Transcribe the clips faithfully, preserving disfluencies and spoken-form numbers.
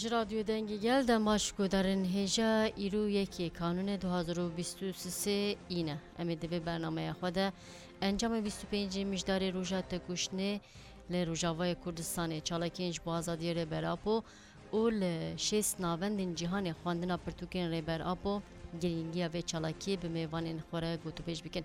Ji Radyo Dengê Gel de maş guhdarên hêja, îro yekê Kanûnê du hazar û bîst û sê îne. Em ê di vê bernameya xwe de encamê bîst û pêncê Mijdarê Roja Têkoşînê li Rojavayê Kurdistanê, çalakiyên ji bo azadiyê Rêber Apo û li şêst navendên cîhanê xwendina pirtûkên Rêber Apo, girîngiya vê çalakiyê bi mêvanên xwe re gotûbêj bikin.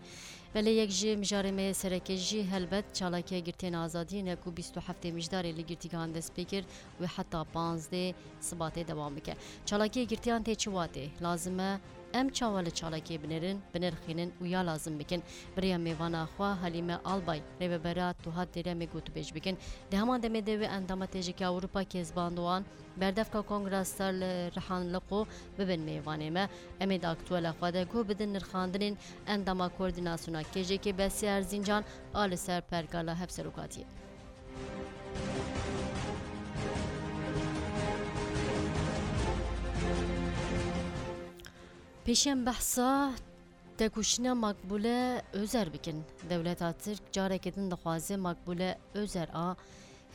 Belê yek ji mijarê me yê sereke jî helbet çalakiya girtiyên azadiyê ne ku bîst û heftê Mijdarê li girtîgehan dest pê kir û heta panzdeh Sibatê dewam bike. Çalakiya girtiyan tê çi watê? Lazim e em çawa li çalakiyê binêrin, binirxînin û ya lazim bikin? Bi rêya mêvana xwe Halîme Albay, rêvebera Tuhat Dêremê gotûbêj bikin. Di heman demê de wê endama Têjikê Ewropa Kezban Doğan, berdevka Kongra Star li Rihan Liqo bibin mêvanê me. Em ê di aktuela xwe de guh bidin nirxandinên endama Koordînasyona K J K Besiye Erzincan a li ser pergala hevserokatiyê. Pêşiya em behsa têkoşîna Makbûle Ozer bikin. Dewleta Tirk careke din dixwaze Makbûle Ozer a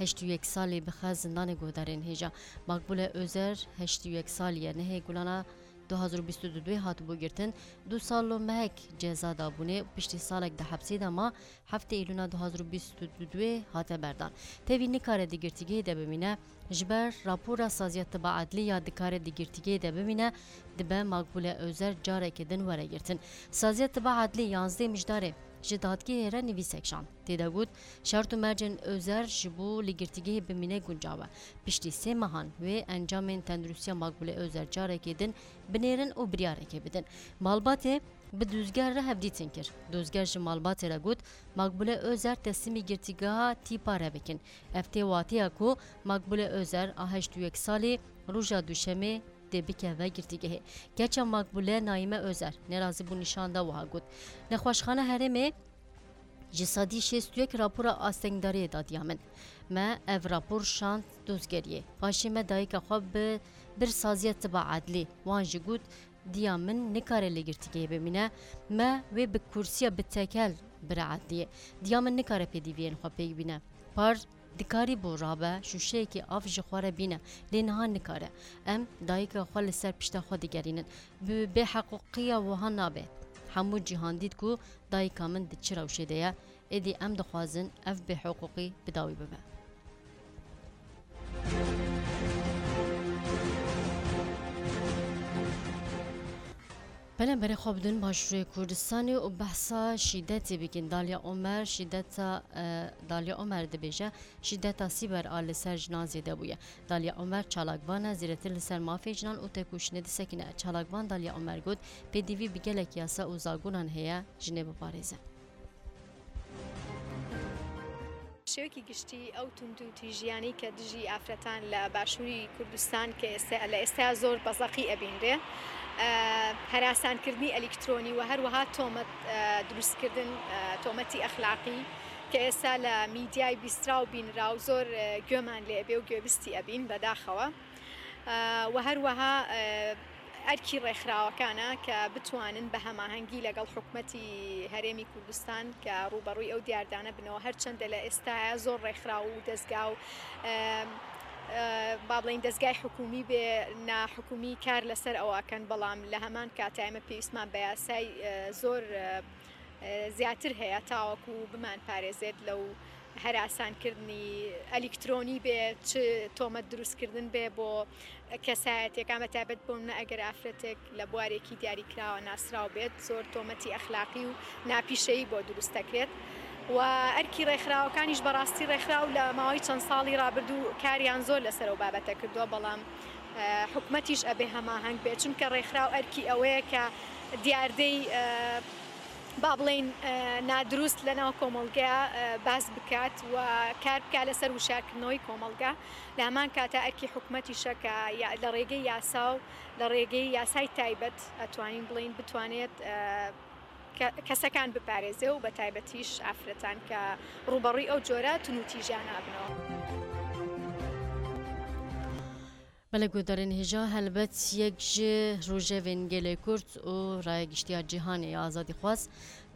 heştê û yek salî bixe zindanê. Guhdarên hêja, Makbûle Ozer heştê û yek salî ye, nehê Gulana du hazar û bîst û du hatibû girtin. Du sal û mehek ceza dabûnê û piştî salek di hepsê de ma, heftê Îlûna du hazar û bîst û du hate berdan. Tevî nikare di girtîgehê de bimîne. Ji ber rapora Saziya Tiba Edlî ya dikare di girtîgehê de bimîne, dibe Makbûle Ozer careke din were girtin. Saziya Tiba Edlî yanzdeh Mijdarê ji dadgehê re nivîsek şand. Tê de got, şert û mercên Ozer ji bo li girtîgehê bimîne guncaw e. Piştî sê mehan wê encamên tenduristiya Makbûle Ozer careke din binêrin û biryarekê bidin. Malbatê bi dozger re hevdîtin kir. Dozger ji malbatê re got, Makbûle Ozer teslîmî girtîgeha tîpa re bikin. Ev tê wateya ku Makbûle Ozer a heştê û yek salî roja Duşemê dê bikeve girtîgehê. Keça Makbûle Naîme Ozer nerazîbûn nîşan da, wiha got, Nexweşxana Herêmê ji sedî şêst û yek rapora astengdariyê da diya min. Me ev rapor şand dozgeriyê. Paşê me dayika xwe bi bir Saziya Tiba Edlî, wan jî got, diya min nikare li girtîgehê bimîne, me wê bi kursiya bi tekel bire edliyê. Diya min nikare pêdiviyên xwe pêk bîne. Par dikarîbû rabe, şûşeyekî av ji xwe re bîne, lê niha nikare. Em dayika xwe li ser pişta xwe digerînin. Bi bêheqûqiya wiha nabe. Hemû cîhan dît ku dayika min di çi rewşê de ye. Êdî em dixwazin ev bêhiqûqî bi dawî bibe. Belê, berê xwe bidin Başûrê Kurdistanê û behsa şîdetê bikin. Dalya Omer, şîdeta, e, Dalya Omer dibêje, şîdeta sîber a li ser jinan zêde bûye. Dalya Omer çalakvan e, zêdetir li ser mafê jinan û têkoşînê disekine. Çalakvan Dalya Omer got, pêdivî bi gelek yasa û zagonan heye jinê biparêze. Şêwekî giştî ئەو توندوتیژییانەی کە دژی ئافرەتان لە باشووری کوردستان کە ئێستا، لە ئێستا زۆر بەزەقی ئەبینرێ، ئە، هەراسانکردنی ئەلیکترۆنی و هەروەها تۆمەت، ئە، دروستکردن، ئە، تۆمەتی ئەخلاقی کە ئێستا لە میدیای بیستراو بینراو زۆر، ئە، گوێمان لێ ئەبێ و گوێبیستی ئەبین بەداخەوە. ئە، و هەروەها، ئە، ئەرکی ڕێکخراوەکانە کە بتوانن بە هەماهەنگی لەگەڵ حکومەتی هەرێمی کوردستان کە ڕوبەڕووی ئەو دیاردانە بنەوە، هەرچەندە لە ئێستایا زۆر ڕێکخراو و دەستگا و، ئە، ئە، با بڵێن دەستگای حکومی بێ ناحکومی کار لەسەر ئەوەکەن، بەڵام لە هەمان کاتا ئێمە پێویستمان بە یاسای، ئە، زۆر، ئە، ئە، زیاتر هەیە تاوەکو بمان پارێزێت لەو هەراسانکردنی ئەلیکترۆنی بێ، چ تۆمەت دروستکردن بێ بۆ کەسایەتیەکان، بە تایبەت بۆ منە ئەگەر ئافرەتێک لە بوارێکی دیاریکراوە ناسراو بێت، زۆر تۆمەتی ئەخلاقی و ناپیشەیی بۆ دروست دەکرێت. و ئەرکی ڕێکخراوەکانیش بەڕاستی ڕێکخراو لە ماوەی چەند ساڵی ڕابردوو کاریان زۆر لەسەر ئەو بابەتە کردووە، بەڵام، ئە، حکومەتیش ئەبێ هەماهەنگ بێت، چونکە ڕێکخراو ئەرکی ئەوەیە کە دیاردەی، ئە، با بڵێن، ئە، نادروست لە ناو کۆمەڵگەیە، ئە، باس بکات و کار بکات لەسەر وشارکردنەوەی کۆمەڵگە. لە هەمان کاتا ئەرکی حکومەتیشە کە یا-، لە ڕێگەی یاسا و لە ڕێگەی یاسای تایبەت ئەتوانین بڵێن بتوانێت، ئە، کە-، کەسەکان بپارێزێ و بە تایبەتیش ئافرەتان کە ڕوبەڕووی ئەو جۆرە تونوتیژیانە بنەوە. Belê guhdarên hêja, helbet yek ji rojevên gelê Kurd û raya giştiya cîhanê ya azadîxwaz,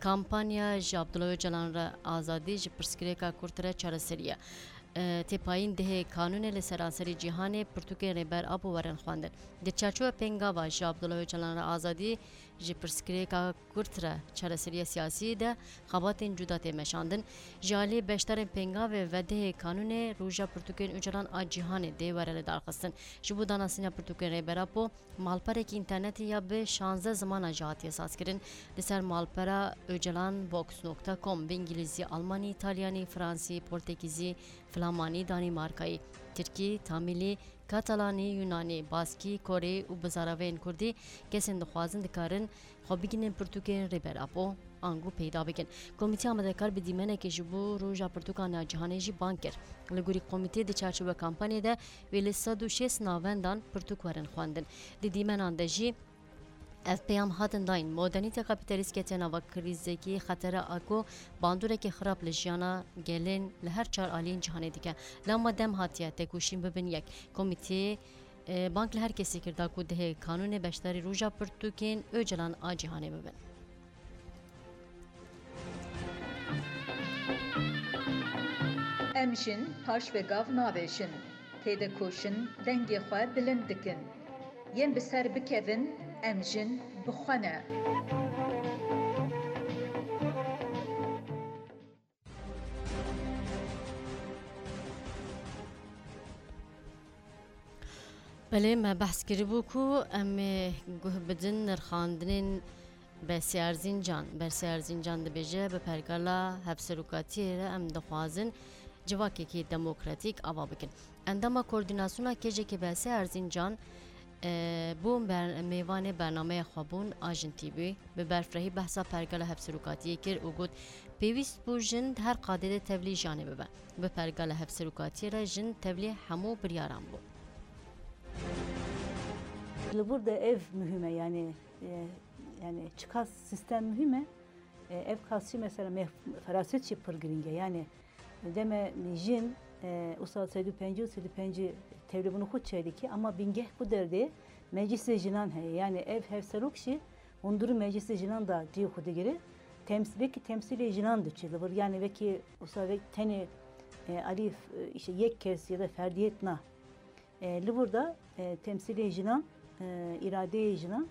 kampanya Ji Abdullah Ocalan re azadî, ji pirsgirêka Kurd re çareserî ye. e, tê payîn dehê kanûnê li seranserî cîhanê pirtûkên Rêber Apo werin xwendin. Di çarçoya pêngava ji Abdullah Ocalan re azadî, ji pirsgirêka kurt re çareseriya siyasî de xebatên cuda tê meşandin. Ji alî beşdarên pêngavê ve dehê kanûnê roja pirtûkên Ocalan a cîhanê dê were lidarxistin. Ji bo danasîna pirtûkên Rêber Apo, malperekî înternetî ya bi şazdeh zimana jî hatiye sazkirin. Li ser malpera ocalan vox nokta com bi îngilîzî, almanî, îtalyanî, fransî, portekîzî, flamanî, danîmarkayî, tirkî, tamîlî, katalanî, yunanî, baskî, korî û bi zaraveyên kurdî kesên dixwazin dikarin xwe bigihînin pirtûkên Rêber Apo, ango peyda bikin. Komîteya amadekar bi dîmenekê ji bo Roja Pirtûkan a Cîhanê jî bang kir. Li gorî komîtê, di çarçoveya kampanyê de wê li sed û şêst navendan pirtûk werin xwendin. Di dîmenan de jî ev peyam hatin dayîn: modernîteya kapîtalîst ketiye nava krîzekî xetera a ku bandoreke xirab li jiyana gelên li her çar aliyên cîhanê dike. Lewma dem hatiye tekoşîn bibin yek. Komîteyê, e, bang li her kesî kir da ku dihê kanûnê beşdarî Roja Pirtûkên Ocalan a Cîhanê bibin. Em jin paş ve gav navêjin, têde koşin dengê xwe bilind dikin. Yên bi ser bikevin, em jin bi xwe ne. Belê, me behs kiribû ku em ê guh bidin nirxandinên Bersê Erzîncan. Bersê Erzîncan dibêje, bi pergala hevserokatiyê re em dixwazin civakekî demokratîk ava bikin. Endama Koordînasyona Kêjekê Bersê Erzîncan, e, bû ber-, mêvanê bernameya xwebûn a Jin T V. Bi berfirehî behsa pergala hevserokatiyê kir û got, pêwîst bû jin di her qadê de tevlî jiyanê bibe. Bi pergala hevserokatiyê re jin tevlî hemû biryaran bû. Li vir de ev muhîm e, yani, e, yani çiqas sistem muhîm e. E, ev qasî mesela meh-, feraset jî pir girîng e. Yani deme jin, e, usa sed û pêncî û sed û pêncî tevlî bûn xwe çêdikî, ama bingeh ku derdê meclisê jinan heye. Yani ev hevserok jî hundirî meclisê jinan da cihê xwe digire. Tems-, vekî temsîlê jinan diçe li vir. Yani vekî usa vek tenê, e, alî, e, işte yek kes ya da ferdiyet na. E, li vir de, e, temsîlê jinan, e, îradeyê jinan,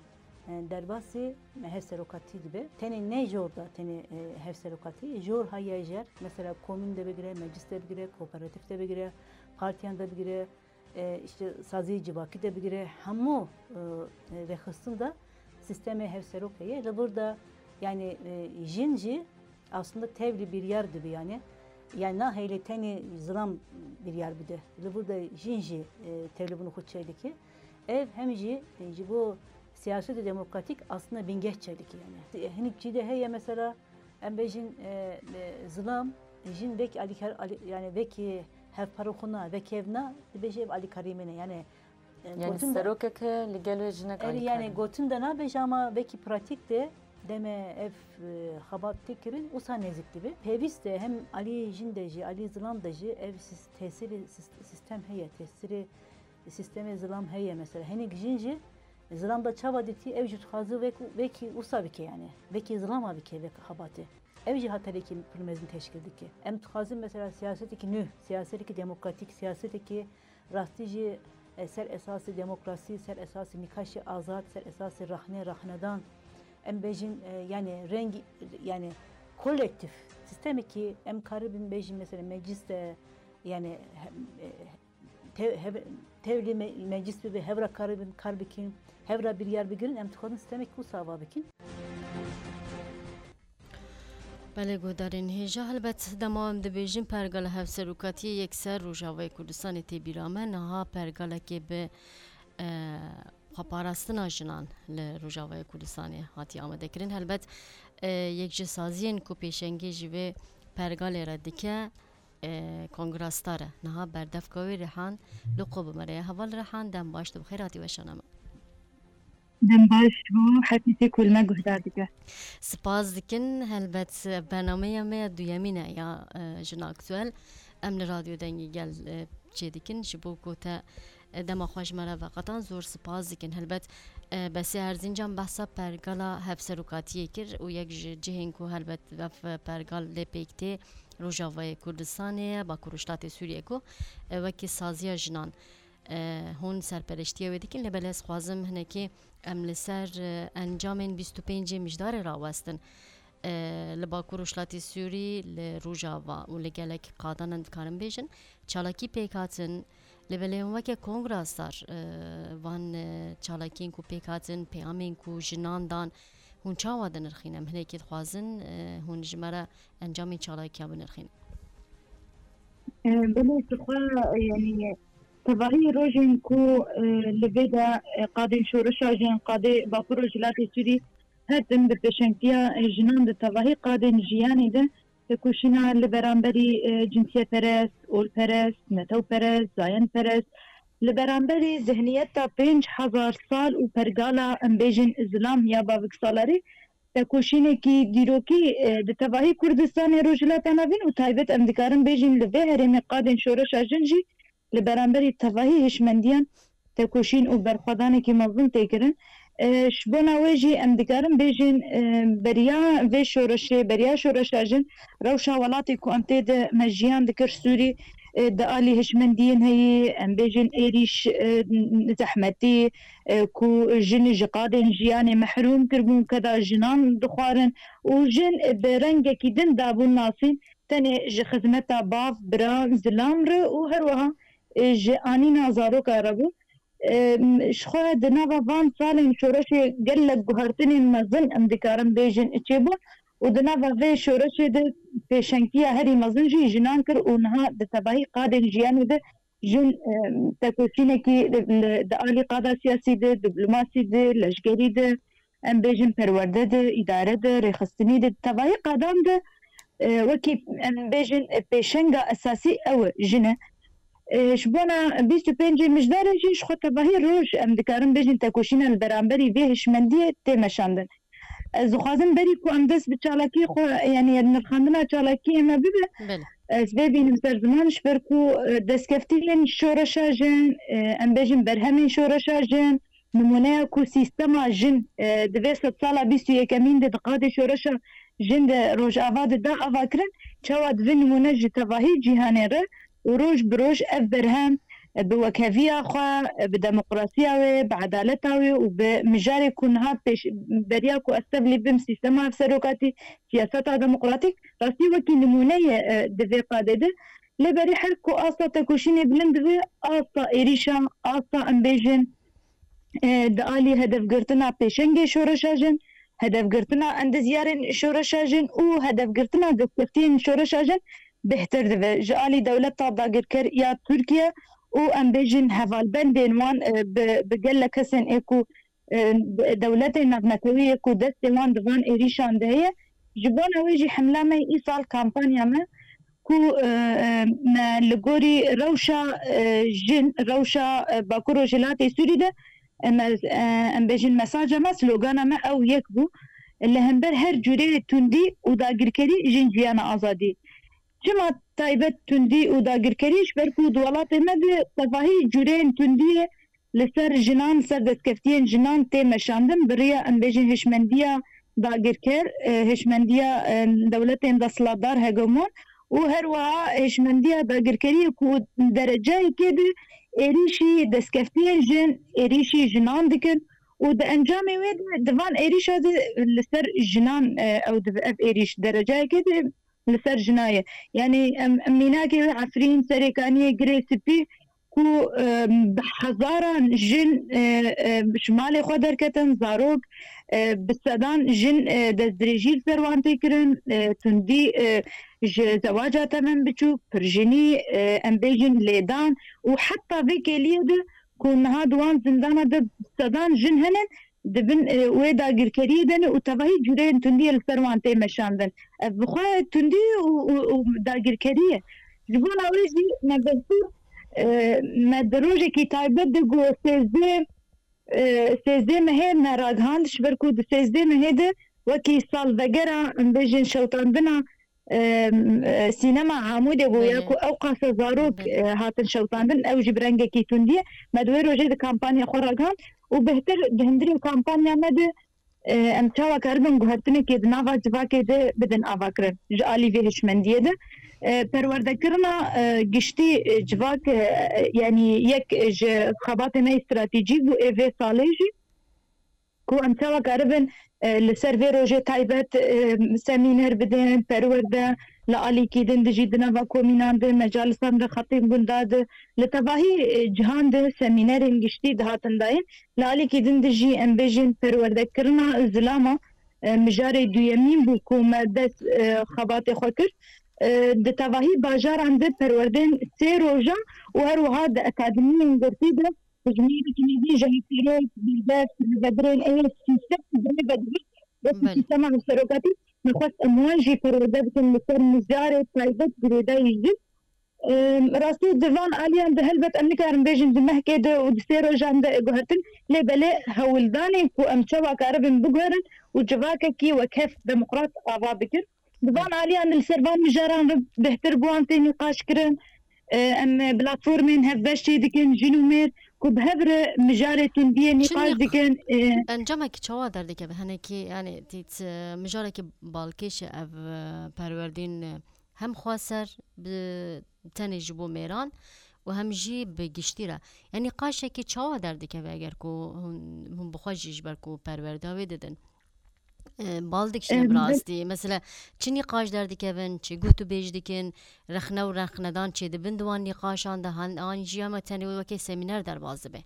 e, derbasî hevserokatî dibe. Tenê ne jor de tenê, e, hevserokatî, jor heye jer, mesela komîn de bigire, meclis de bigire, kooperatif de bigire, partiyan de bigire, e, işte saziyê civakî de bigire, hemû, e, e, rêxistin de sîstemê hevserok heye. Li vir de yani, e, jin jî aslında tevlî biryar dibe yani. Yani nahêle tenê zilam biryar bide. Li vir de jin jî, e, tevlî bûn xwe çêdike. Ev hem jî, e, ji bo siyasetê demokratîk aslında bingeh çêdike yani. E, hinek çî de heye mesela, em bêjin, e, e, zilam, jin vekî alîkar-, alî-, yani vekî hevpar xwe na, vekî ev na, dibêje ev alîkarî min e. Yani, e, Yani gotin de serokeke li gel wê jinek Erê, alîkar yani e. Gotin de nabêje ama vekî pratîk de deme ev, e, xebat tê kirin, wisa nêzik dibe. Pêwîst e hem alî jin de jî, alî zilam de jî ev sis-, tesîrê sis-, sîstem heye, tesîrê sîstemê zilam heye mesela. Hinek jin jî zilam da çawa dîtî, ew jî dixwaze wek, wekî wisa bike yani. Wekî zilama bike wek xebatê. Ew jî haterekî pir mezin teşkil dike. Em dixwazin mesela siyasetekî nû, siyasetekî demokratîk, siyasetekî rastî jî, e, ser esasê demokrasî, ser esasê nîqaşê azad, ser esasê rexnê, rexnedan. Em bêjin, e, yani rengî, yani kolektîf, sîstemekî em karibin bêjin mesela meclis de, yani he-, e, te-, hev-, tevlî me-, meclis bibe, hev re karibin kar bikin, hev re biryar bigirin, em dixwazin sîstemekî wisa ava bikin. Belê, guhdarên hêja, helbet dema em dibêjin pergala hevserokatiyê yekser Rojavayê Kurdistanê tê bîra me, niha pergalekê bi, e, xweparastina jinan li Rojavayê Kurdistanê hatiye amadekirin. Helbet, e, yek ji saziyên ku pêşengê ji vê pergalê re dike, e, Kongra Star e. Niha berdevka wê Rihan li Qobimere ye. Heval Rihan, dem baş, tu bi xêr hatî weşana me. Dem baş bû, hetî tê ku li me guhdar dike. Spas dikin. Helbet, bernameya me ya duyemîn e ya, e, Jin Aktuel. Em li Radyo Dengê Gel, e, çêdikin. Ji bo ku te, e, dema xwe ji me re veqetan, zor spas dikin. Helbet, e, Besê Erzîncan behsa pergala hevserokatiyê kir û yek ji cihên ku helbet ev pergal lê pêk tê, Rojavayê Kurdistanê ye, Bakur Rojhilatê Sûriyê ku, e, wekî saziya jinan, e, hûn serpereştiya wê dikin, lê belê ez xwazim hinekî em li ser, e, encamên bîst û pêncê Mijdarê rawestin. E, li Bakur Rojhilatê Sûrî, li Rojava û li gelek qadan em dikarin bêjin, çalakî pêk hatin, lê belê hûn weke kongra sar, e, van, e, çalakiyên ku pêk hatin, peyamên ku jinan dan, hûn çawa dinirxîn? Em hinekî dixwazin, e, hûn ji me re encamên çalakiya binirxîn. E, belê, ji xwe, yanî, tevahî rojên ku, e, li vê de, e, qadên şoreşa jin, qadê Bakur Rojhilatê Sûrî her tim bi pêşengtiya, e, jinan di tevahî qadên jiyanê de tekoşîna li beramberî, e, cinsiyetperest, olperest, netewperest, zayenperest, li beramberî zihniyeta pênc hezar sal û pergala, em bêjin, zilam ya bavik salarî, tekoşînekî dîrokî, e, di tevahî Kurdistanê, Rojhilata Navîn û taybet em dikarin bêjin li vê herêmê qadên şoreşa jin jî li beramberî tevahî hişmendiyan tekoşîn û berxwedanekî mezin tê kirin. E, ji bona wê jî em dikarin bêjin, e, beriya vê şoreşê, beriya şoreşa jin, rewşa welatê ku em tê de me jiyan dikir Sûrî, e, di alî hişmendiyên heyî, em bêjin êrîş, e, zehmetî, e, ku jin ji qadên jiyanê mehrûm kiribûn, keda jinan dixwarin û jin bi rengekî din dabûn nasîn, tenê ji xizmeta bav, bira, zilam re û her wiha, e, ji anîna zaroka re bû. E, ji xwe di nava van salên şoreşê gelek guhertinên mezin em dikarin bêjin çêbûn û di nava vê şoreşê de pêşengtiya herî mezin jî jinan kir û niha di tevahî qadên jiyanê de jin, e, tekoşînekî li, li, di alî qada siyasî de, diplomasî de, leşgerî de, em bêjin perwerde de, îdare de, rêxistinî de, tevahî qadan de, e, wekî em bêjin, e, pêşenga esasî ew e, jin e. E, ji bona bîst û pêncê Mijdarê jî ji xwe tevahî roj em dikarin bêjin tekoşîna li beramberî vê hişmendiyê tê meşandin. Ez dixwazim berî ku em dest bi çalakiyê xwe, yanî nirxandina çalakiyê me bibe, Belê. ez vê bînim ser ziman, ji ber ku, e, destkeftiyên şoreşa jin, e, em bêjin berhemên şoreşa jin, nimûneya ku sîstema jin, e, di vê sedsala bîst û yekemîn de di qadê şoreşa jin de Rojava de da avakirin, çawa divê nimûne ji tevahî cîhanê re û roj bi roj ev berhem, e, bi wekheviya xwe, e, bi demokrasiya wê, bi edaleta wê û bi mijarê ku niha pêş, beriya ku ez tevlî bim, sîstema hevserokatî, siyaseta demokratîk, rastî wekî nimûne ye, e, di vê qadê de. Lê berî her ku asta tekoşînê bilind dibe, asta êrîşa, asta em bêjin, e, di alî hedefgirtina pêşengê şoreşa jin, hedefgirtina endezyarên şoreşa jin û hedefgirtina destkeftiyên şoreşa jin bêhtir dibe. Ji alî dewleta dagirker ya Tirkiye û em bêjin hevalbendên wan, e, bi, bi gelek kesên ê ku, e, dewletên navnetewî yê ku destê wan di van êrîşan de heye. Ji bona wê jî hemla me îsal kampanya me ku, e, e, me li gorî rewşa, e, jin, rewşa, e, Bakur Rojhilatê Sûrî de, e, me, e, em bêjin mesaja me, slogana me ew yek bû. Li hember her cûreyê tundî û dagirkerî jin jiyana azadî. Çima taybet tundî û dagirkerî? Ji ber ku di welatê me de tevahî cûreyên tundiyê li ser jinan, ser destkeftiyên jinan tê meşandin, bi riya em bêjin hişmendiya dagirker, e, hişmendiya, e, dewletên desthilatdar, hegemon û her wiha hişmendiya dagirkeriyê ku derecayekê de êrîşî destkeftiyên jin, êrîşî jinan dikin û di encamê wê de di van êrîşa de li ser jinan, e, ew dibe ev êrîş derecayekê de li ser jina ye. Yanî em, em mînakê wê Efrîn, Serêkaniyê, Girê Spî ku, e, bi hezaran jin, e, e, ji malê xwe derketin, zarok, e, bi sedan jin, e, destdirêjî li ser wan tê kirin, e, tundî, e, ji zewaca temen biçûk, pirjinî, e, em bêjin lêdan û heta vê kêliyê de ku niha di wan zindana de sedan jin hene, di bin, e, wê dagirkeriyê de ne û tevahî cûreyên tundiyê li ser wan tê meşandin. Ev bi xwe tundî û, û, û dagirkerî ye. Ji bona wê jî me destûr, e, me di rojekî taybet de ku sêzdeh, e, sêzdeh mehê me ragihand, ji ber ku di sêzdeh mehê de wekî salvegera, em bêjin, şewitandina, e, e, sînema Amûdê bû, ya Belê. ku ew qasa zarok, Belê. e, hatin şewitandin, ew jî bi rengekî tundî ye. Me di wê rojê de kampanya xwe ragihand û bêhtir di hundirê kampanya me de, e, em çawa karibin guhertinekê di nava civakê de bidin avakirin ji alî vê hişmendiyê de. E, perwerdekirina, e, giştî, e, civak, e, yanî yek ji xebatê me yê stratejîk bû ê vê salê jî, ku em çawa karibin, e, li ser vê rojê taybet, e, semîner bidin, perwerde li alîkî din dijî di nava komînan de, mecalisan de, xetîb gunda de, li tevahî, e, cihan de semînerên giştî dihatin dayîn. Li alîkî din dijî em bêjin perwerdekirina zilama, e, mijarê duyemîn bû ku me dest, e, xebatê xwe kir. E, di tevahî bajaran de perwerdên sê rojan û her wiha di akademiyên girtî de bi jinêrek nivî ji hevserok, berdest, rêvebirên ê sîstem rêve dibin. Wekî Belê. Sîstema hevserokatî, me xwest em wan jî perwerde bikin li ser mijarê taybet girêdayî jin. Em, rastî di van aliyan de helbet em nikarin bêjin di mehkê de û di sê rojan de guhertin, lê belê hewldanên ku em çawa karibin biguherin û civakekî wekhev demokrat ava bikin. Di van aliyan de li ser van mijaran re bêhtir bi wan tê nîqaş kirin. E, em platformên hevbeş çêdikin, jin û mêr, ku bi hev re mijarê tundiyê nîqaş dikin. E, Encamekî çawa derdikeve? Hinekî, yani, tît, e, mijarekî balkêş e ev, e, perwerdîn, e, hem xweser bi tenê ji bo mêran û hem jî bi giştî re. Yani, nîqaşekî çawa derdikeve eger ku hûn, hûn bi xwe jî ji ber ku perwerda wê didin? E, bal dikişîne Em, bi rastî. Mesela, çi nîqaş derdikevin, çi gotûbêj dikin, rexne û rexnedan çêdibin di wan nîqaşan de, han, an jî hema tenê wekê semîner derbas dibe?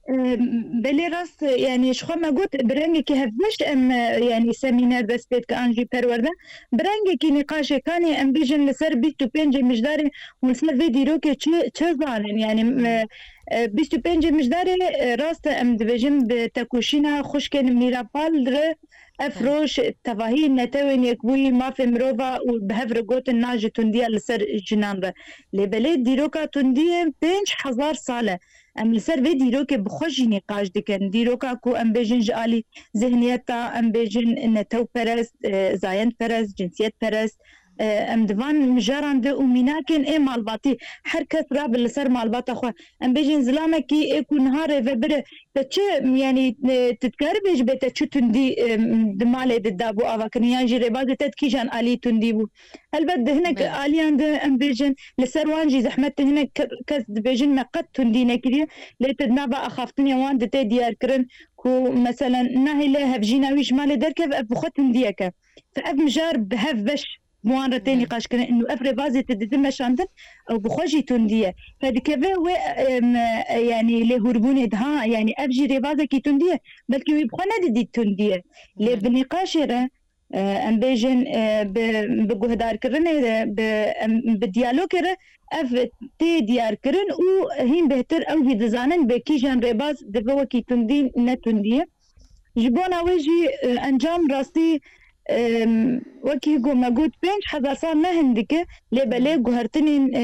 Em, belê rast, yani ji xwe me got, bi rengekî hevbeş em, e, yani semîner dest pê dike an jî perwerde. Bi rengekî nîqaşê kanê em bêjin li ser bîst û pêncê Mijdarê hûn li ser vê dîrokê çi, çi zanin? Yani, Hmm. e, E, bîst û pêncê Mijdarê, e, rast e, em dibêjin bi tekoşîna xwişkên Mîra Pal re ev Belê. roj tevahî Netewên Yekbûyî, mafê mirova û bi hev re gotin na ji tundiya li ser jinan re. Lê belê dîroka tundiyê pênc hezar sal e. Em li ser vê dîrokê bi xwe jî nîqaş dikin. Dîroka ku em bêjin ji alî zihniyeta, em bêjin netewperest, e, zayendperest, cinsiyetperest, E, em di van mijaran de û mînakên ê malbatî, her kes rabe li ser malbata xwe. Em bêjin zilamekî ê ku niha rêvebir e, te çi, yanî, e, tu dikarî bêjî bê te çi tundî, e, di malê de dabû avakirin, yan jî rêbazê te di kîjan alî tundî bû? Helbet di hinek Belê. aliyan de em bêjin, li ser wan jî zehmet e, hinek ke-, kes dibêjin me qet tundî nekiriye, lê tu di nava axaftinê wan de tê diyarkirin ku, meselen, nahêle hevjîna wî ji malê derkeve, ev bi xwe tundiyek e. Te ev mijar bi hev beş bi wan re tê Belê. nîqaşkirin û ev rêbazê tu didin meşandin, ew bi xwe jî tundî ye. Te dikeve wê, em, e, yanî lêhûrbûnê de, ha, yanî ev jî rêbazekî tundî ye. Belkî wî bi xwe nedidît tundî ye. Lê Belê. bi nîqaşê re, e, em bêjin, e, bi, bi guhdarkirinê re, bi, em, bi diyalogê re ev tê diyarkirin û hîn bêhtir ew jî dizanin bi kîjan rêbaz dibe wekî tundî ne tundî ye. Ji bona wê jî, e, encam rastî, e, wekî ku me got, pênc hezar sal ne hindik e, lê belê Hmm. guhertinên, e,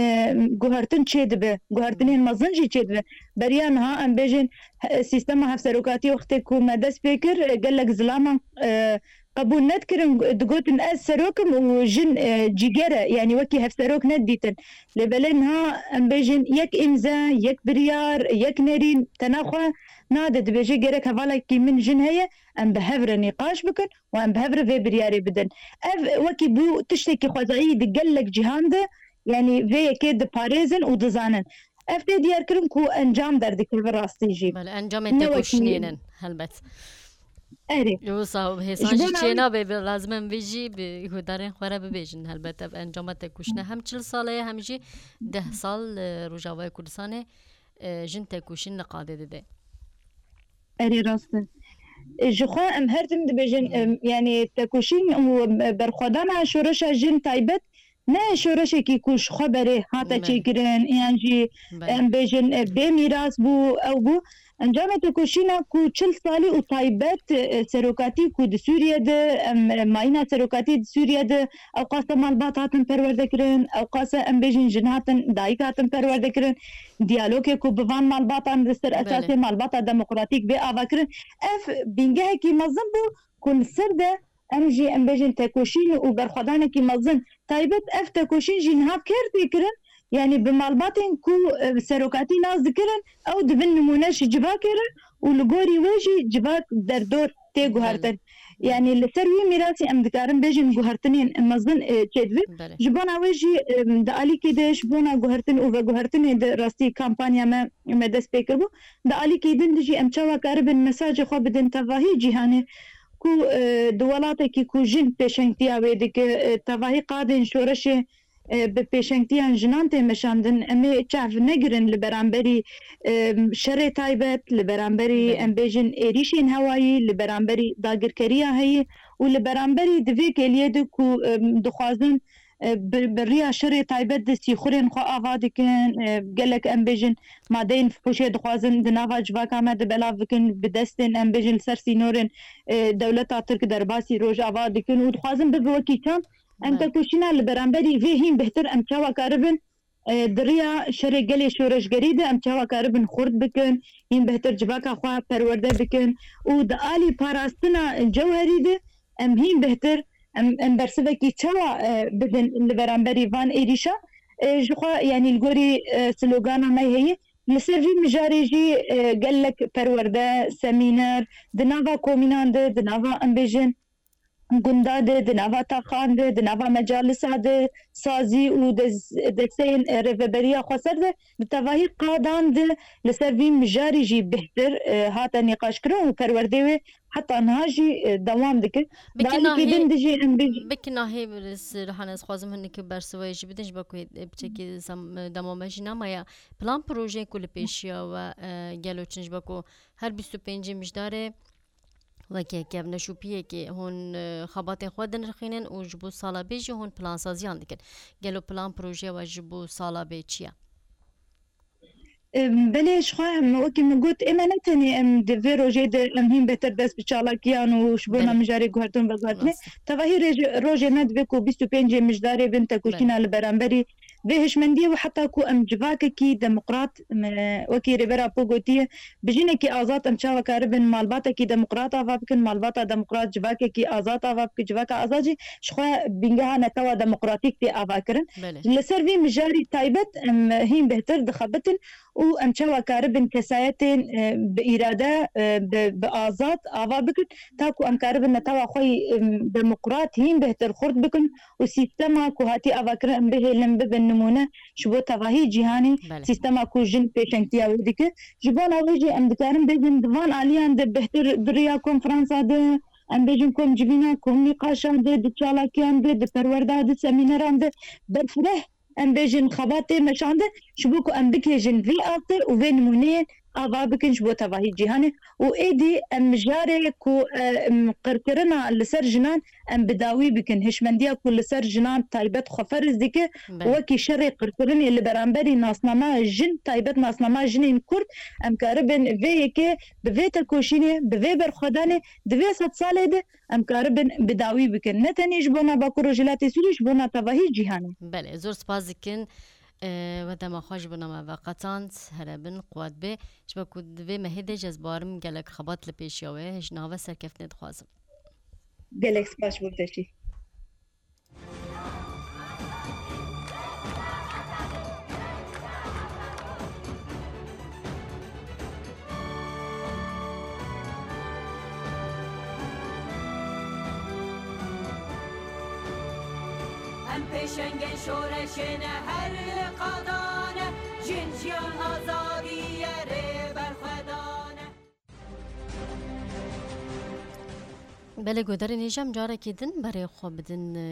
guhertin çêdibe, guhertinên Hmm. mezin jî çêdibe. Beriya niha em bêjin, e, sîstema hevserokatiyê wextê ku me dest pê kir, e, gelek zilaman, e, qebûl nedikirin, digotin, ez serok im û jin, e, cîger e, yanî wekî hevserok nedidîtin. Lê belê niha em bêjin, yek îmze, yek biryar, yek nerîn, te naxwe nade, dibêje gerek hevalekî min jin heye, em bi hev re nîqaş bikin û em bi hev re vê biryarê bidin. Ev wekî bû tiştekî xwezayî di gelek cîhan de, yanî vê yekê diparêzin û dizanin. Ev tê diyarkirin ku encam derdikeve rastî jî. Belê, encamê Ne wekî têkoşînê ne, helbet. Erê. Wisa hêsan Ji jî bona çê nabe, bi lazim em vê jî bi guhdarên xwe re bibêjin. Helbet ev encama têkoşînê hem çil sal e, hem jî deh sal, e, Rojavayê Kurdistanê, e, jin têkoşîn li qadê dide. Erê rast e. E, ji xwe em her tim dibêjin, Hmm. em, yanî tekoşîn û, em, berxwedana şoreşa jin taybet ne şoreşekî ku ji xwe berê hate Belê. çêkirin, yan jî Belê. em bêjin, e, bê mîras bû, ew bû. Encamê tekoşîna ku çil salî û taybet, e, serokatî ku di Sûriye de, em, e, mayîna serokatî di Sûriye de, ew qase malbat hatin perwerde kirin, ew qase em bêjin jin hatin, dayik hatin perwerde kirin. Diyalogê ku bi van malbatan di ser Belê. esasê malbata demokratîk bê ava kirin, ev bîngehekî mezin bû ku li ser de em jî, em bêjin, tekoşîn û berxwedanekî mezin. Taybet ev tekoşîn jî niha kêr tê kirin, yanî bi malbatên ku, e, serokatî nas dikirin, ew dibin nimûne ji civakê re û li gorî wê jî civak derdor tê Belê. guhertin. Yanî li ser wî mîrasî em dikarin bêjin guhertinên mezin, e, çêdibin. Belê. Ji bona wê jî, em, di alîkî de ji bona guhertin û veguhertinê de rastî kampanya me, me dest pê kiribû. Di alîkî din de jî em çawa karibin mesajê xwe bidin tevahî cîhanê ku, e, di welatekî ku jin pêşengtiya wê dike, e, tevahî qadên şoreşê, e, bi pêşengtiyan jinan tê meşandin. Em ê çav negirin li beramberî, e, şerê taybet, li beramberî, Belê. em bêjin, êrîşên hewayî, li beramberî dagirkeriya heyî û li beramberî di vê kêliyê de ku, e, dixwazin, e, bi, bi riya şerê taybet de sîxurên xwe ava dikin, e, gelek em bêjin madeyên fihûşê dixwazin di nava civaka me de belav bikin, bi destên em bêjin li ser sînorên, e, dewleta Tirk derbasî Rojava dikin û dixwazin bibe wekî çand. Em Belê. tekoşîna li beramberî vê hîn bihtir em çawa karibin, e, di riya şerê gelê şoreşgerî de em çawa karibin xurt bikin, hîn bihtir civaka xwe perwerde bikin û di alî parastina cewherî de em hîn bihtir, em, em bersivekî çawa, e, bidin li beramberî van êrîşa, e, ji xwe, yanî li gorî, e, slogana me heye, li ser vî mijarê jî, e, gelek perwerde, semîner, di nava komînan de, di nava em bêjin, gunda de, di nava taxan de, di nava mecalisa de, sazî û des-, desteyên, e, rêveberiya xweser de, di tevahî qadan de li ser vî mijarî jî bihtir, e, hate nîqaşkirin û perwerdê wê heta niha jî, e, dewam dike. Bi Di alîkî kinahê, din de jî em bêjin. bi kinahê, Rihane, ez xwazim hinek bersivayê jî bidin, ji bo ku, e, piçekî zam-, dema me jî nemaye. Plan projeyên ku li pêşiya we, e, gelo çin, ji bo ku her bîst û pêncê mijdarê wekî kevneşopiyekê hûn, e, xebatên xwe dinirxînin û ji bo sala bê jî hûn plansaziyan dikin. Gelo plan projeya we ji bo sala bê çi ye? Em, belê, ji xwe em, wekî min got, ê me ne tenê em di vê rojê de em hîn bêhtir dest bi çalakiyan û ji bona Belê. mijarê guhertin veguhertinê. Rast. Tevahî rêj-, rojê me divê ku bîst û pêncê mijdarê bin tekoşîna Belê. li beramberî vê hişmendiyê û heta ku em civakekî demokrat, em, wekî Rêber Apo gotiye, bi jinekî azad em çawa karibin malbatekî demokrat ava bikin, malbata demokrat civakekî azad ava bikin, civaka azad jî ji xwe bîngeha netewa demokratîk tê ava kirin. Belê. Li ser vî mijarî taybet em hîn bêhtir dixebitin û em çawa karibin kesayetên, e, bi îrade, e, bi, bi azad ava bikin, ta ku em karibin netewa xwe yî, em, demokrat hîn bêhtir xurt bikin û sîstema ku hatî avakirin em bihêlin bibin nimûne ji bo tevahî cîhanê, Belê. sîstema ku jin pêşengtiya wê dike. Ji bona wê jî em dikarin bêjin di van aliyan de bêhtir bi riya konferansa de, em bêjin komcivîna, komnîqaşan de, di çalakiyan de, di perwerda, di semîneran de berfireh, em bêjin xebat tê meşandin, ji bo ku em bikêjin vê astê û vê nimûneyê ava bikin ji bo tevahî cîhanê û êdî em mijarê ku, e, em, qirkirina li ser jinan em bi dawî bikin, hişmendiya ku li ser jinan taybet xwe ferz dike, Belê. wekî şerê qirkirinê li beramberî nasnama jin, taybet nasnama jinên Kurd, em karibin vê yekê bi vê tekoşînê, bi vê berxwedanê di vê sedsalê de em karibin bi dawî bikin. Ne tenê ji bona Bakur Rojhilatê Sûrî, ji bona tevahî cîhanê. Belê, zor spas dikin. E, we dema xwe ji bona me veqetand, here bin, quwet bê. Ji bo ku di vê mehê de jî ez barim gelek xebat li pêşiya we, ji nava serkeftinê dixwazim. Gelek spas ji bo pêşî. Em pêşengên şoreşê ne, her li qadan e, jin, jiyan, azadî ye, rêber xwedan e. Belê, guhdarên hêja, em carekê din berê xwe bidin, e,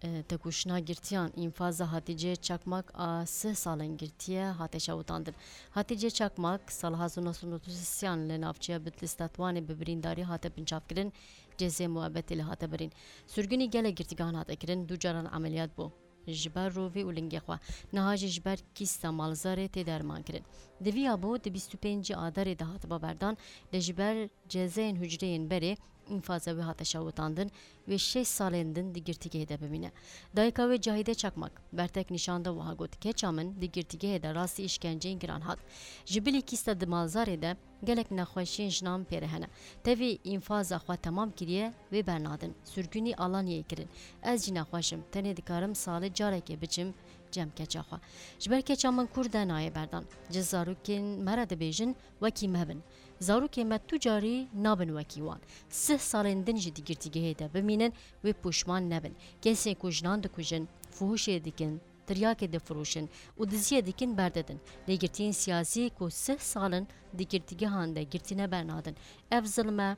e, tekoşîna girtiyan, înfaza Hatîce Çakmak a sih salên girtiye hate şewitandin. Hatîce Çakmak sala hezar û neh sed û nod û sêyan li navçeya Bitlis Tetwanê bi birîndarî hate binçavkirin, cezayê muebetê lê hate birîn. Sirgûnî gelek girtîgehan hate kirin, du caran emeliyat bû. Ji ber rovî û lingê xwe, niha jî ji ber kîsta malzarê tê dermankirin. Di vî ya bo di bîst û pêncî Adarê de hatiba berdan, lê ji ber cezayên hucreyên berê înfaza wê hate şewitandin, wê şeş salên din di girtîgehê de bimîne. Dayika wê Cahîde Çakmak bertek nîşan da wiha got, Keça min di girtîgehê de rastî îşkenceyên giran hat. Ji bilî kîsta di malzarê de gelek nexweşiyên jinan pê re hene. Tevî înfaza xwe temam kiriye, wê bernadin. Sirgûnî Alanyayê kirin. Ez jî nexweş im. Tenê dikarim salê carekê biçim Cem keça xwe. Ji ber keça min kûr de nayê berdan. Ji zarokên me re dibêjin, wekî me bin. Zarokên me tu carî nabin wekî wan. Sih salên din jî di girtîgehê de bimînin, wê pûşman nebin. Kesên ku jinan dikujin, fuhuşê dikin, tiryakê difiroşin û diziyê dikin berdidin. Lê girtiyên siyasî ku sih sal in di girtîgehan de girtî nebernadin. Ev zilm e,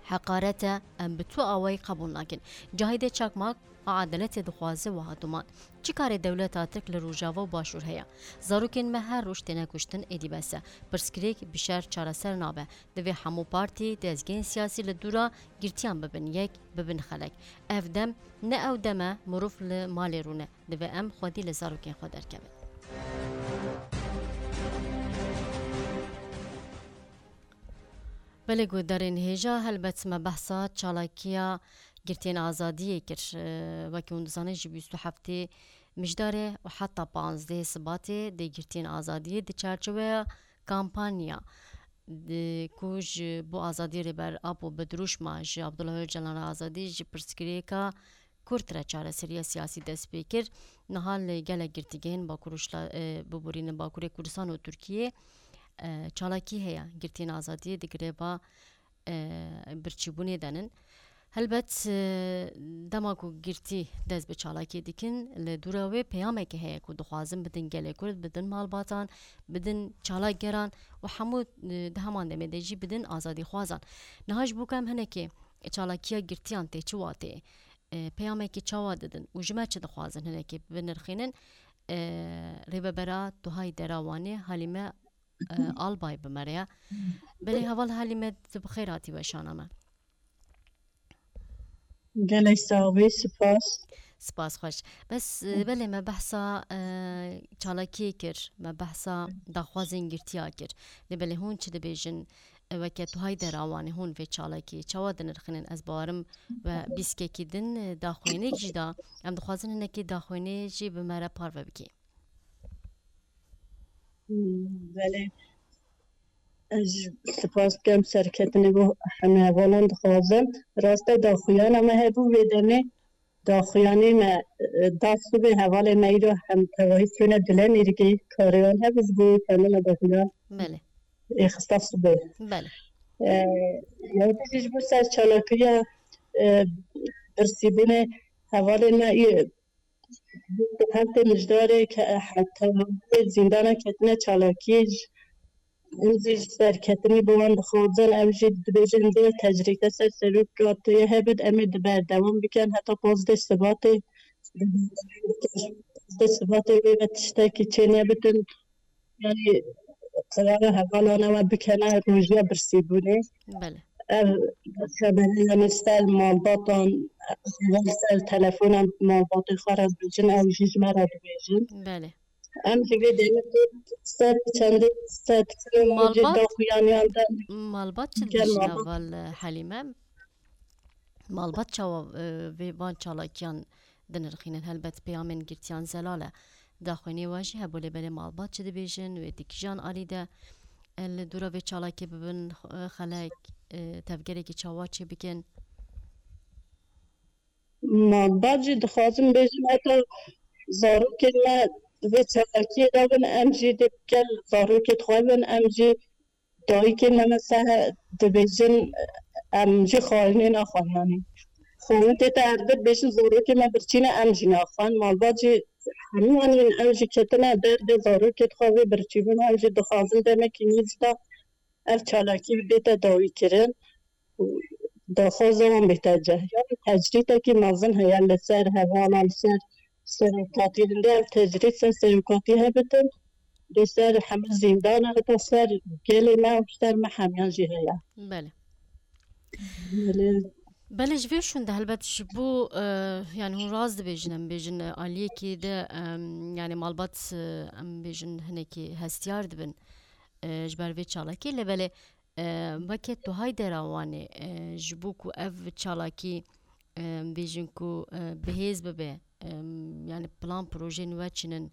heqaret e, em bi tu awayî qebûl nakin. Cahîdê Çakmak a edaletê dixwaze wiha duman. Çi karê dewleta Tirk li Rojava û Başûr heye? Zarokên me her roj têne kuştin, êdî bes e. Pirsgirêk bi şer çareser nabe. Divê hemû partî, dezgehên siyasî li dûra girtiyan bibin yek, bibin xelek. Ev dem ne ew dem e, mirov li malê rûne. Divê em xwedî li zarokên xwe derkevin. Belê guhdarên hêja, helbet me behsa çalakiya girtiyên azadiyê kir. Wekî hûn dizanin, ji bîst û heftê Mijdarê û heta panzdehê Sibatê dê girtiyên azadiyê di çarçoveya kampanya di ku ji bo azadiyê Rêber Apo bi dirûşma ji Abdullah Ocalan re azadî ji pirsgirêka kurt re çareseriya siyasî dest pê kir. Niha li gelek girtîgehên Bakur û Şla-, e, biborînin Bakurê Kurdistan û Tirkiyê, e, çalakî heye. Girtiyên azadiyê di girêba, e, birçîbûnê de nin. Helbet, e, dema ku girtî dest bi çalakiyê dikin, li dûra wê peyamekê heye ku dixwazin bidin gelê Kurd, bidin malbatan, bidin çalakgeran û hemû, e, di heman demê de jî bidin azadîxwazan. Niha ji bo ku em hinekê çalakiya girtiyan tê çi wateyê, e, peyamekî çawa didin û ji me çi dixwazin hinekê binirxînin, e, rêvebera Tuhayê Dera Wanê Halîme, e, Albay bi me re ye. Belê heval Halîme, tu bi xêr hatî weşana me. Gelek sax bî, spas. Spas xweş. Bes, e, belê me behsa, e, çalakiyê kir, me behsa daxwazên girtiya kir. Lê belê hûn çi dibêjin? E, weke Tuhayê Dera Wanê hûn vê çalakiyê çawa dinirxînin? Ez bawerim we bîskekî din, e, daxuyaniyek jî da. Em dixwazin hinekî daxuyaniyê jî bi me re parve bikî. Hmm, belê. Ez spas dikim serketinê bo hemî hevalan dixwazim. Rast e, daxuyana me hebû vê demê. Daxuyanî me, e, da sibê hevalê me îro hem tevahî çûne Dilê Mîrgî, karê wan hebû ji bo wî tenê me daxuyan Belê. ê xista sibê. Belê. E, ya dî jî ji bo ser çalakiya, e, birsîbûnê hevalê me î-, Heftê Mijdarê ke heta zîndana ketine çalakî, em jî ji serketinî bi wan dixwazin, ew jî dibêjin dê tecrîde ser serokatiyê hebit, em ê di berdewam bikin heta pazdeh Sibatê. Pazdeh Sibatê wê ve tiştekî çê nebitin. Yanî, qirara hevalana we bikene rojiya birsîbûnê. Belê. Ev xebere, yanî, ser malbatan, ser telefonan malbatê xwe re dibêjin, ew jî ji me re dibêjin. Belê. Em jî vê demê ser çendê, ser çendê malbat, daxuyaniyan de. Malbat çi dibêjin heval Helîme? Malbat çawa, e, vê van çalakiyan dinirxînin? Helbet peyamên girtiyan zelal e. Daxuyaniyê we jî hebû, lê belê malbat çi dibêjin? Wê di kîjan alî de, e, li dûra vê çalakê bibin, e, xelek, e, tevgerekî çawa çê bikin? Malbat jî dixwazim bêjim, heta zarokên me di vê çalakiyê de bin, em jî dê gel zarokê dixwebin, em jî dayikê me mesela dibêjin, em jî xwarinê naxwin, yanî xwarin tête erdê, dibêjin zarokê me birçî ne, em jî naxwin. Malbat jî hemû, yanî ew jî ketine derdê zarokê dixwe vê birçîbûna, ew jî dixwazin demekî nîz de ev çalakî bête dawî kirin û daxwaza wan bête cih. Yanî tecrîdekî mezin heye li ser hevalan, li ser serokatî. Hindê ev tecrîd ser serokatî hebitin, li ser hemû zîndana, heta ser gelê me û ser me hemiyan jî heye. Belê. Belê. Belê, ji vê şûnde helbet ji bo, e, yanî hûn rast dibêjin, em bêjin, e, aliyekî de, em, yanî malbat, e, em bêjin hinekî hestiyar dibin, e, ji ber vê çalakî. Lê belê, e, weke Tuhayê Dera Wanê, e, ji bo ku ev çalakî, e, em bêjin ku, e, bihêz bibe, e, yanî plan projeyên we çi nin,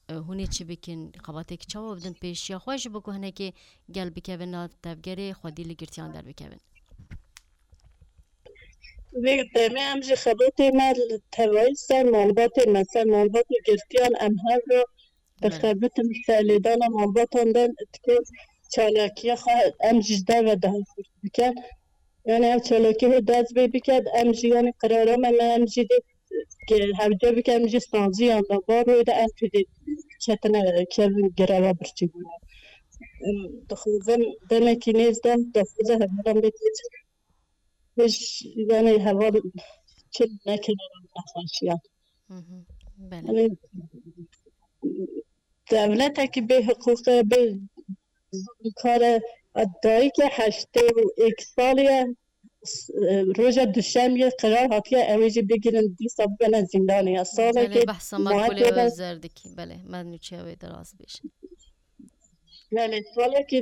e, hûn ê çi bikin, xebateke çawa bidin pêşiya xwe ji bo ku hinekê gel bikevin nav tevgerê, xwedî li girtiyan derbikevin? Vê demê em jî xebatê me li tevayî ser malbatê me, ser malbat û girtiyan em hev re dixebitin, ser lêdana malbatan de dikin çalakiya xwe em jî ji derve dahil dikin. Yani ev çalakî hê dest pê biket, em jî yani qirara me, me em jî dê hewce bikin, em jî saziyan de bar wê de em jî dê ketine kevin greva birçî bûne. Em dixwazin demekî nêz de daxwaza hevalan bê têçin. Hiç, yani heval çi nekirine nexweşiyan. Hı hı. Belê. Yani devletekî bê hiqûqe, bê zulmkare, dayike heştê û êk salî ye, s-, e, roja duşemiyê qerar hatiye ew ê jî bigirin, dîsa bibene zîndanê ya. Salekê Belê, behsa makulê makulê ve Özer dikî. Belê, me nûçeya wê de rast bêjin. Belê, salekê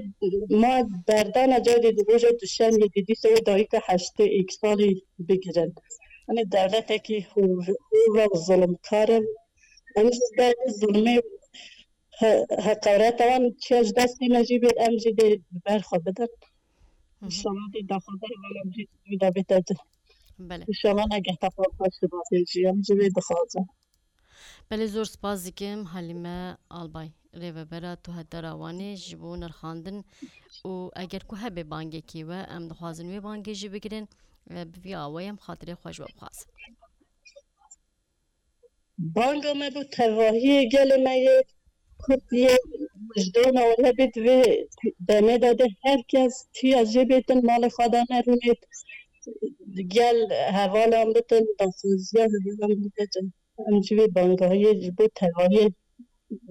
ma berdana cadê di roja duşemiyê dî dîsa wê dayika heştê êk salî bigirin. Hani devletekî hûr, hûr ve zulmkar e. Em jî ber zulmê he-, heqareta wan çiya ji destê me jî bê, em jî dê ber xwe bidin. Hı hı. Înşallah dê daxwaza hevalan jî wî de bête di. Belê. Înşallah negehta xwe xweş dibasê jî, em jî vê dixwazin. Belê, zor spas dikim Halîme Albay, rêvebera Tuhetdara Wanê ji bo nirxandin û eger ku hebe bangekî we, em dixwazin wê bangê jî bigirin, e, bi vî awayê em xatirê xwe ji we bixwazin. Banga me bo tevahiyê gelê me yê Kurd yê wijdana we hebe di vê demê de, de her kes tiya jê bêtin malê xwe de nerûnêt, gel hevalan bitin, daxwaziya hevalan bikin. Em jî vê bangahiyê ji bo tevahiyê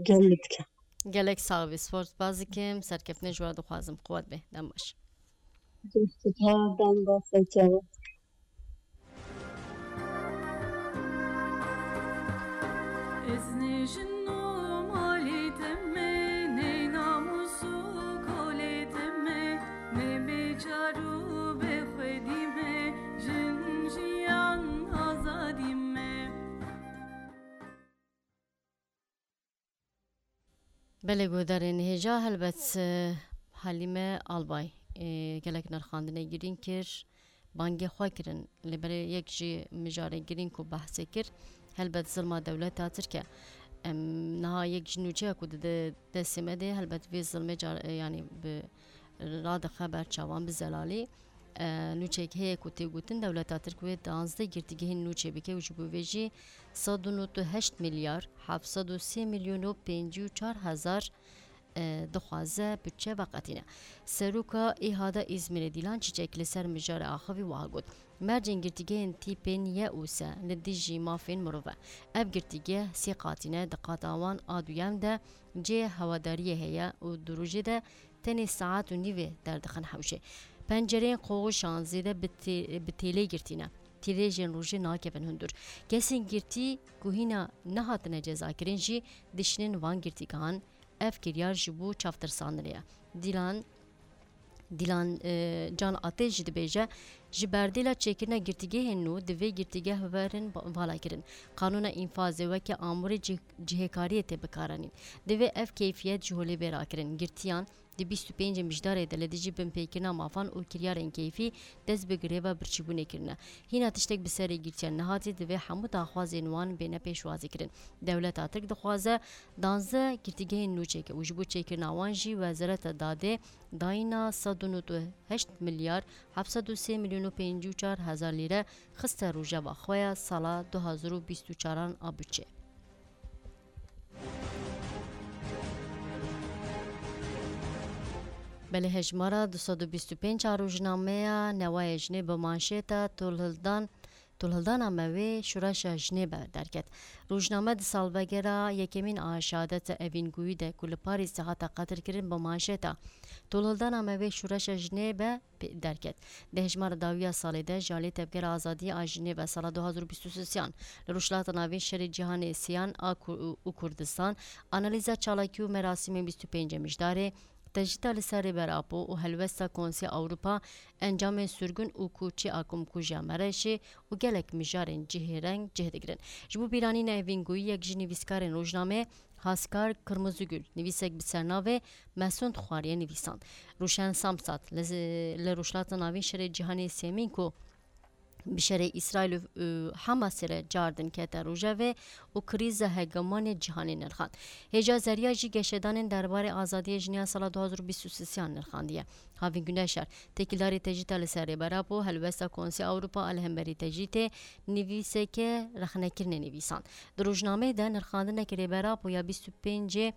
gel li dike. Gelek sax bî, spor spas dikim, serkeftinê ji we dixwazim, quwet bê, dem baş. Spas, dem baş, çawa. Ez ne jin û malê te me, ne namûs û kolê te me, ne becar û bexwedî me, jin jiyan azadî me. Belê, guhdarên hêja, helbet, e, Halîme Albay, e, gelek nirxandinê girîng kir, bangê xwe kirin. Lê belê yek jî mijarê girîng ku behsê kir, helbet zilma dewleta Tirk e. Em niha yek ji nûçeya ku dide destê me de, helbet vê zilmê car, e, yanî bi radixe ber çavan bi zelalî. E, nûçeyek heye ku tê gotin dewleta Tirk wê duwazdeh girtîgehên nûçe bike û ji bo vê jî sed û nod û heşt milyar heft sed û sê milyon û pêncî û çar hezar, e, dixwaze budçe veqetîne. Seroka ÎHAda Îzmîrê Dîlan Çîçek li ser mijarê axivî wiha got, mercên girtîgehên tîpên Y û S li dijî mafên mirov e. Ev girtîgeh sê qatî ne, di qata wan a duyem de cihê hewadariyê heye û di rojê de tenê saet û nîvê derdixin hewşê. Pencereyên qoxişan zêde bi tê-, bi têlê girtî ne. Tîrêjên rojê nakevin hundir. Kesên girtî ku hîna nehatine cezakirin jî dişînin van girtîgehan. Ev kiryar ji bo çavtirsandinê ye. Dîlan, Dîlan, e, Can Atê jî dibêje, ji berdêla çêkirina girtîgehên nû divê girtîgeh werin ba-, valakirin. Qanûna înfazê weke amûrê cih-, cihêkariyê tê bikaranîn. Divê ev keyfiyet ji holê bê rakirin. Girtiyan di bîst û pêncê Mijdarê de li dijî binpêkirina mafan û kiryarên keyfî dest bi greva birçîbûnê kirine. Hîna tiştek bi serê girtiyan nehatî, divê hemû daxwazên wan bêne pêşwazîkirin. Dewleta Tirk dixwaze danzdeh girtîgehên nû çêke û ji bo çêkirina wan jî Wezareta Dadê dayîna sed û nod û heşt milyar heft sed û sê milyon û pêncî û çar hezar lîre xiste rojeva xwe ya sala du hazar û bîst û çaran a budçê. Belê, hejmara du sed û bîst û pênc a rojnameya Newayê Jinê bi manşeta Tolhildan, Tolhildana me wê Şoreşa Jinê be derket. Rojname di salvegera yekemîn a şehadeta Evîn Gûyî de ku li Parîsê hate qetilkirin bi manşeta Tolhildana me wê Şoreşa Jinê be pê-, derket. Di hejmara dawî ya salê de ji alî Tevgera Azadiyê a Jinê ve sala du hazar û bîst û sêyan li Rojhilata Navîn şerê cîhanê sêyan a Ku-, û Kurdistan, analîza çalakî û merasîmên bîst û pêncê Mijdarê, tecrîda li ser Rêber Apo û helwesta Konseya Ewropa, encamên sirgûn û koçî a Komkujiya Mereşê û gelek mijarên cihêreng cih digirin. Ji bo bîranîna Evîn Gûyî, yek ji nivîskarên rojnameyê, Haskar Kırmızıgül, nivîsek bi sernavê Mesûnd Xwariyê nivîsand. Rûşen Samsat li, li Rojhilata Navîn şerê cîhanê sêmîn ku bi şerê Îsraîl û, û Hamasê re cardin kete rojevê û krîza hegemonê cîhanê nirxand. Hêja Zerya jî geşedanên derbarê azadiyê jinê ya sala du hazar û bîst û sêyan nirxandiye. Havîn Güneşer, têkildarî tecrîta li ser Rêber Apo, helwesta Konseya Ewropa a li hemberî tecrîtê nivîseke rexnekirinê nivîsand. Di rojnameyê de nirxandineke Rêber Apo ya bîst û pêncê,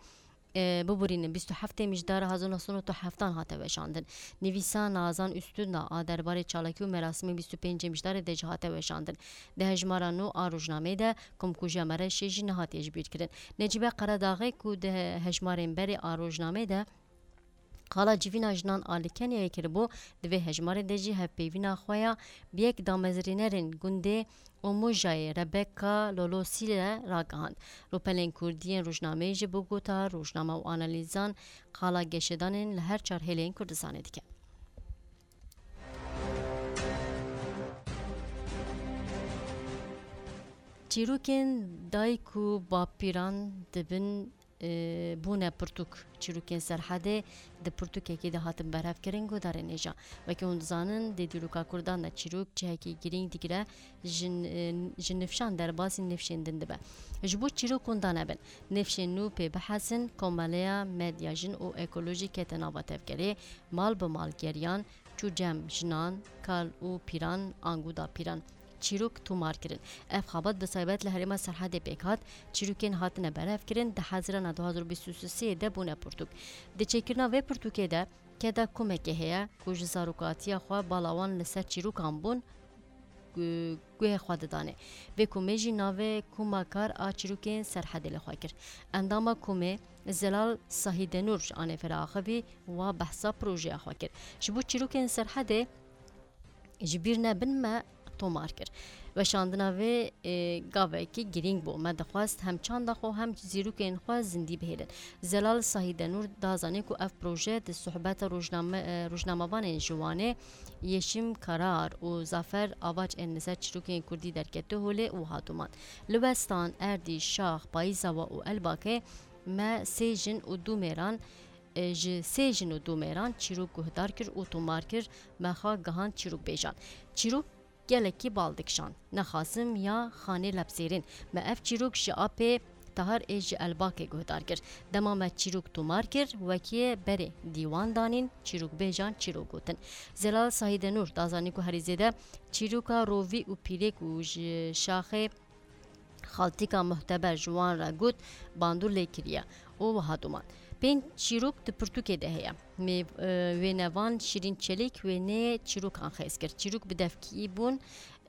e, biborînin, bîst û heftê Mijdara hezar neh sed û newid û heftan hate weşandin. Nivîsa Nazan Üstündağ a derbarê çalakî û merasimên bîst û pêncê Mijdarê de jî hate weşandin. Di hejmara nû a rojnameyê de komkujiya Mereşê jî nehatiye jibîrkirin. Necîbe Qeredaxê ku di he-, hejmarên berê a rojnameyê de qala civîna jinan a li Kenyayê kiribû, di vê hejmarê de jî hevpeyvîna xwe ya bi yek damezrînerên gundê Omojayê Rebecca Lolosî re ragihand. Rûpelên kurdî yên rojnameyê jî bi gota rojname û analîzan qala geşedanên li her çar hêlên Kurdistanê dike. Çîrokên dayik û bapîran dibin, e, bûne pirtûk. Çîrokên Serhedê di pirtûkekê de hatin berhevkirin, guhdarên hêja. Wekî hûn dizanin, di dîroka Kurdan de çîrok cihekî girîng digire, ji, e, ji nifşan derbasî nifşên din dibe. Ji bo çîrok hûn danebin, nifşên nû pê bihesin, komeleya medya jin û ekolojî kete nava tevgerê, mal bi mal geriyan, çû cem jinan, kal û pîran, ango dapîran. Çîrok tomar kirin. Ev xebat bi taybet li herêma Serhedê pêk hat. Çîrokên hatine berhevkirin di Hezirana du hazar û bîst û sê de bûne pirtûk. Di çêkirina vê pirtûkê de keda komekê heye ku ji zarokatiya xwe bala wan li ser çîrokan bûn, gu-, guhê xwe didanê. Vê komê jî navê Koma Kar a Çîrokên Serhedê li xwe kir. Endama komê Zelal Sahidenur ji Anêfera axivî wa behsa projeya xwe kir. Ji bo çîrokên Serhedê ji bîr nebin me tomar kir. Weşandina vê, e, gavekî girîng bû. Me dixwest hem çanda xwe hem zîrokên xwe zindî bihêlin. Zelal Sahidenur da zanîn ku ev proje di sohbeta rojname-, e, rojnamevanên ji Wanê, Yeşim Karar û Zafer Avaç ên li ser çîrokên kurdî derkete holê û hat û man. Li Westan, Erdî, Şax, Payîzawa û Elbakê me sê jin û du mêran, e, ji sê jin û du mêran çîrok guhdar kir û tomar kir, me xwe gihand çîrokbêjan. Çîrok gelekî bal dikişand. Nexasim ya Xanê Lepsêrîn. Me ev çîrok ji apê Tahar ê ji Elbakê guhdar kir. Dema me çîrok tomar kir, wekî berê dîwan danîn, çîrokbêjan çîrok gotin. Zelal Sahidenur da zanîn ku herî zêde çîroka rovî û pîrê ku ji Şaxê Xaltîka muhteber ji wan re got, bandor lê kiriye û wiha doman. Pênc çîrok di pirtûkê de heye. Mêv-, e, wênevan Şîrîn Çelîk wêneyê çîrokan xêz kir. Çîrok bi devkî bûn,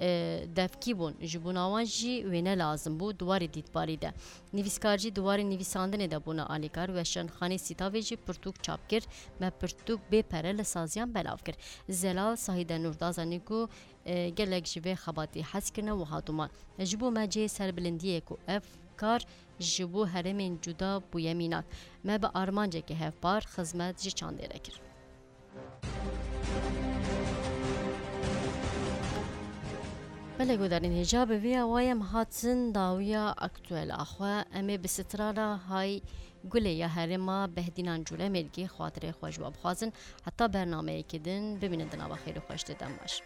e, devkî bûn. Ji bona wan jî wêne lazim bû di warê dîtbarî de. Nivîskar jî di warê nivîsandinê de bûne alîkar. Weşanxanê Sîtavê jî pirtûk çap kir. Me pirtûk bê pere li saziyan belav kir. Zelal Sahidenur da zanîn ku e, gelek ji vê xebatî hez kirine û hat û man. Ji bo me cihê serbilindiyê ku ev kar ji bo herêmên cuda bûye mînak. Me bi armanceke hevpar xizmet ji çandê re kir. Belê guhdarên hêja, bi vê awayê em hatin dawiya aktuela xwe. Em ê bi strana Hay Gulê ya herêma Behdînan Cûlemêrgê xatirê xwe ji we bixwazin. Heta bernameyekê din bimînin di nava xêr û xweşiyê de, em baş.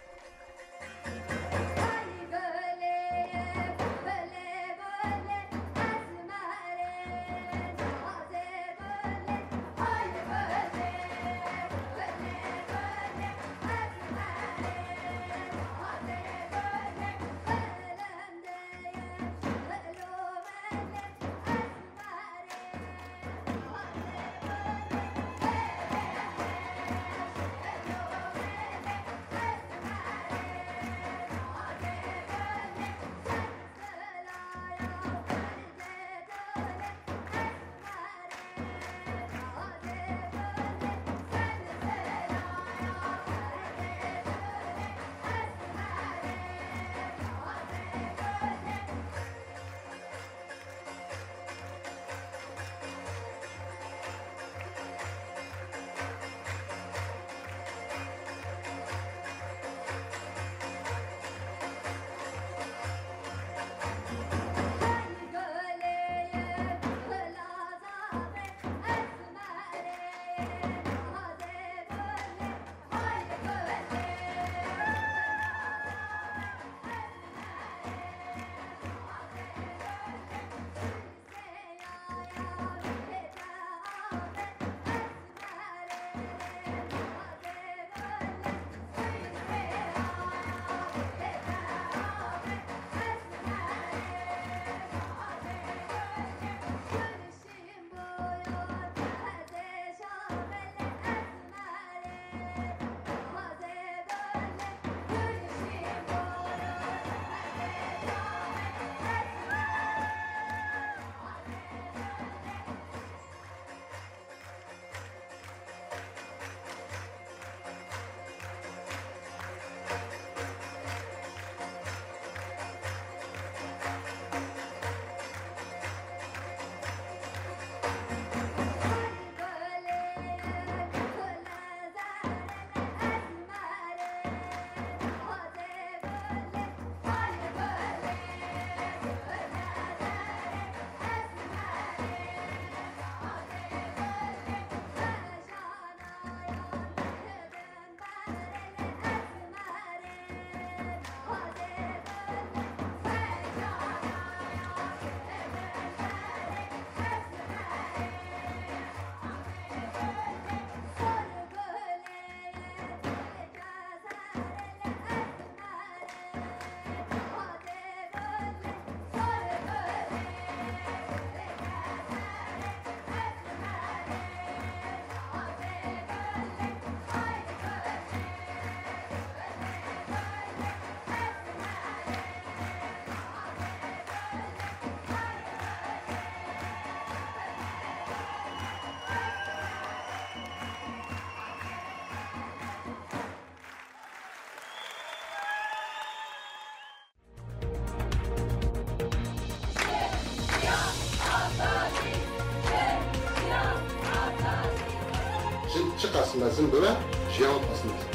Çiqas mezin bibe, jiyan wê qas mezin.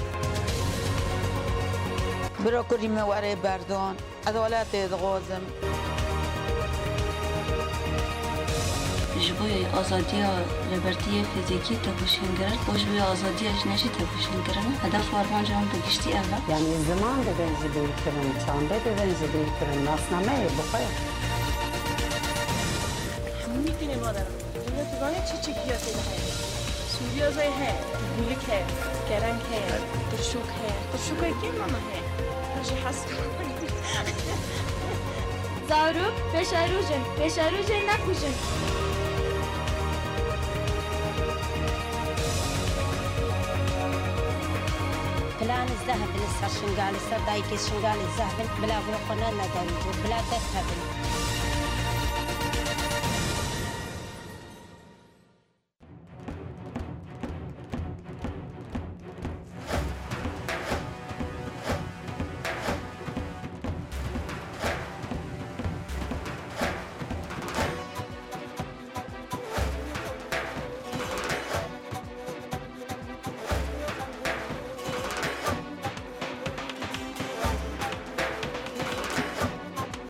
Biro kurî min were berdon, ez welatê dixwazim. Ji bo azadiya rêbertiyê fizîkî tekoşîn kirin û ji bo azadiya jinê jî tekoşîn kirin. Hedef û armanca wan bi giştî ev e. Yanî ziman dibin ji bîr kirin, çandê dibin ji bîr kirin, nasnameyê bi xwe. Hemû tînê madara. Dinya tu zanî çi çi giya tê de heye? Sûriya zey heye, gûlik heye, kereng heye, tirşûk heye. Tirşûka kê mama heye? Her jî hes. Zarok, pêşerûj in, pêşerûjê nekujin. Planê zehf in, ser Şingalê, ser dayikê Şingalê zehf in, bila vê xwe ne, neden, bila dest hebin.